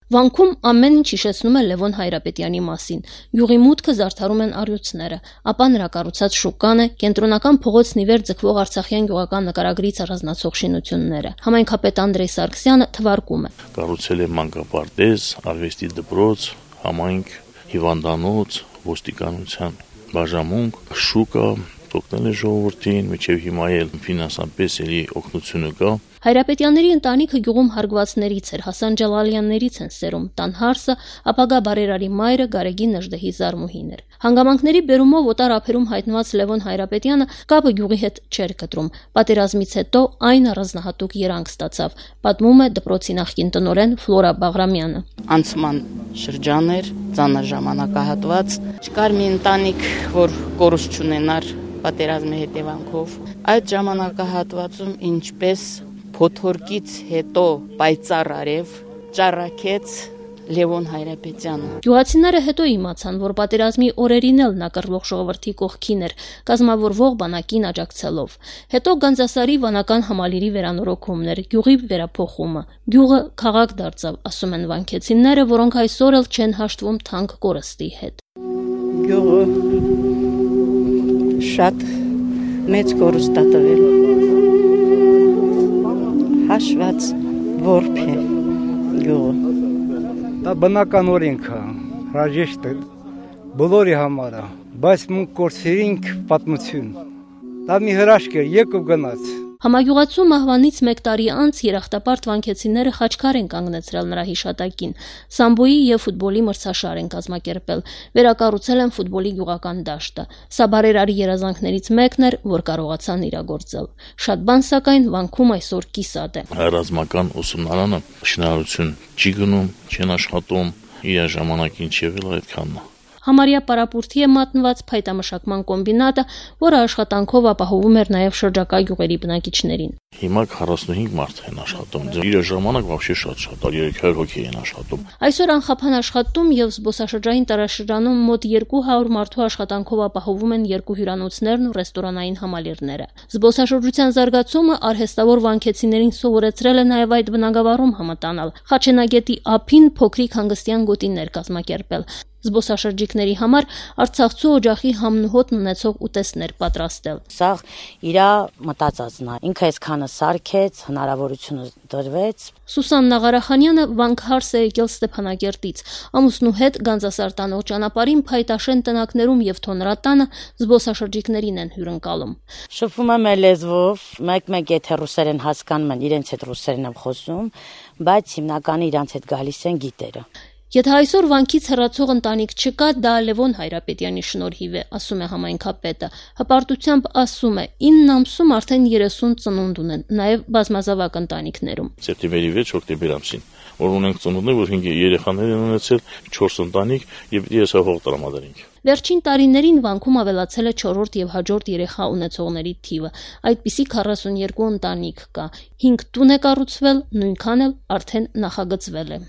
Վանքում ամեն ինչ հիշեցնում է Լևոն Հայրապետյանի մասին։ Գյուղի մուտքը զարդարում են առյուծները, ապա նրա կառուցած շուկան է, կենտրոնական փողոցն ի վեր ձգվող արցախյան գյուղական նկարագրից առանձնացող շինությունները։ Համայնքապետ Անդրեյ Սարգսյանը թվարկում է. Կառուցել է մանկապարտեզ, արվեստի դպրոց, համայնք, հիվանդանոց, ոստիկանության բաժանմունք, շուկա, օգնել է ժողովրդին, մինչև հիմա էլ ֆինանսապես էլի օգնությունը կա։ Հայրապետյանների ընտանիքը գյուղում հարգվածներից էր, Հասան Ջալալյաններից են սերում, տան հարսը, ապագա բարերարի մայրը Գարեգին Նժդեհի զարմուհին էր։ Հանգամանքների բերումով օտար ափերում հայտնված Լևոն Հայրապետյանը կապը գյուղի հետ չէր կտրում։ Պատերազմից հետո այն առանձնահատուկ երանգ ստացավ, պատմում է դպրոցի նախկին տնօրեն Ֆլորա Բաղրամյանը։ Անցման շրջան էր, ծանր ժամանակահատված, չկար մի ընտանիք, որ կորուստ չունենար պատերազմի հետևանքով։ Այդ ժամանակահատվածում ինչպես փոթորկից հետո պայծառ արև ճառակեց Լևոն Հայրապետյանը։ Գյուղացիները հետո իմացան, որ պատերազմի օրերին էլ նա կռվող ժողովրդի կողքին էր, կազմավորվող բանակին աջակցելով։ Հետո Գանձասարի վանական համալիրի վերանորոգումն էր, գյուղի վերափոխումը։ Գյուղը քաղաք դարձավ, ասում են վանքեցիները, որոնք այսօր էլ չեն հաշտվում թանկ կորստի հետ։ Գյուղը շատ մեծ կորուստ է տվել։ Հաշված որբ է գյուղը։ Դա բնական օրենք է, հրաժեշտ է բոլորի համար, բայց մենք կորցրինք պատմություն։ Դա մի հրաշք էր, եկավ գնաց։ Համագյուղացու մահվանից 1 տարի անց երախտապարտ վանքեցիները խաչքար են կանգնեցրել նրա հիշատակին։ Սամբոյի եւ ֆուտբոլի մրցաշար են կազմակերպել, վերակառուցել են ֆուտբոլի գյուղական դաշտը։ Սա բարերարի երազանքներից մեկն էր, որ կարողացան իրագործել։ Շատ բան սակայն վանքում այսօր կիսատ է։ Ռազմական ուսումնարանը շինարարություն չի գնում, չեն աշխատում, իր ժամանակին չեղել այդքանն է։ Համարյա պարապուրդի է մատնված փայտամշակման կոմբինատը, որը աշխատանքով ապահովում էր նաև շրջակա գյուղերի բնակիչներին։ Հիմա 45 մարդ են աշխատում։ Իր ժամանակ вообще շատ 300 հոգի են աշխատում։ Այսօր անխափան աշխատում եւ զբոսաշրջային տարաշրջանում մոտ 200 մարդու աշխատանքով ապահովում են 2 հյուրանոցներն ու ռեստորանային համալիրները։ Զբոսաշրջության զարգացումը արհեստավոր վանքեցիներին սովորեցրել է նաև այդ բնագավառում համտանալ։ Խաչենագետի ափին փոքրիկ հանգստյան գոտիներ կազմակերպել։ Զբոսաշրջիկների համար Արցախցու օջախի համնուհոտն ունեցող ուտեստներ պատրաստել։ Սա իր մտածածն է։ Ինքը այսքանը սարքեց, հնարավորությունը դրվեց։ Սուսան Նաղարախանյանը վանքհարս է եկել Ստեփանակերտից։ Ամուսնու հետ Գանձասար տանող ճանապարհին փայտաշեն տնակներում եւ թոնրատանը զբոսաշրջիկներին են հյուրընկալում։ Շփվում եմ լեզվով, մեկ-մեկ եթե ռուսերեն հասկանում են, իրենց հետ ռուսերեն եմ խոսում, բայց հիմնականը իրանց հետ գալիս են գիտերը։ Եթե այսօր վանքից հեռացող ընտանիք չկա, դա Լևոն Հայրապետյանի շնորհիվ է, ասում է համայնքապետը։ Հպարտությամբ ասում է, 9 ամսում արդեն 30 ծնունդ ունեն, նաև բազմազավակ ընտանիքներում։ Սեպտեմբերի 6 հոկտեմբեր ամսին, որ ունենք ծնունդներ, որ 5 երեխաներ են ունեցել, 4 ընտանիք եւ ես հող տրամադրենք։ Վերջին տարիներին վանքում ավելացել է 4-րդ եւ հաջորդ երեխա ունեցողների թիվը։ Այդպիսի 42 ընտանիք կա։ 5 տուն է կառուցվել, նույնքան էլ արդեն նախագծվել է։